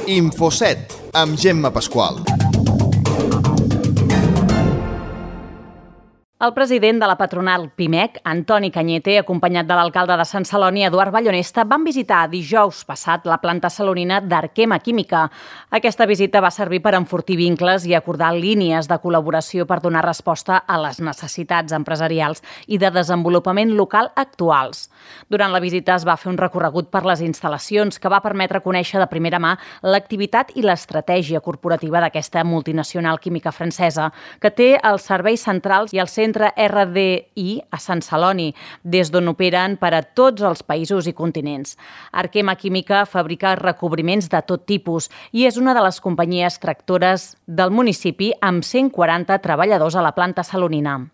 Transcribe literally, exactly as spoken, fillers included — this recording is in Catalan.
Infoset, amb Gemma Pasqual. El president de la patronal Pimec, Antoni Cañete, acompanyat de l'alcalde de Sant Celoni, Eduard Ballonesta, van visitar dijous passat la planta salonina d'Arquema Química. Aquesta visita va servir per enfortir vincles i acordar línies de col·laboració per donar resposta a les necessitats empresarials i de desenvolupament local actuals. Durant la visita es va fer un recorregut per les instal·lacions que va permetre conèixer de primera mà l'activitat i l'estratègia corporativa d'aquesta multinacional química francesa, que té els serveis centrals i el centre Centre R D I a Sant Celoni, des d'on operen per a tots els països i continents. Arquema Química fabrica recobriments de tot tipus i és una de les companyies tractores del municipi amb cent quaranta treballadors a la planta salonina.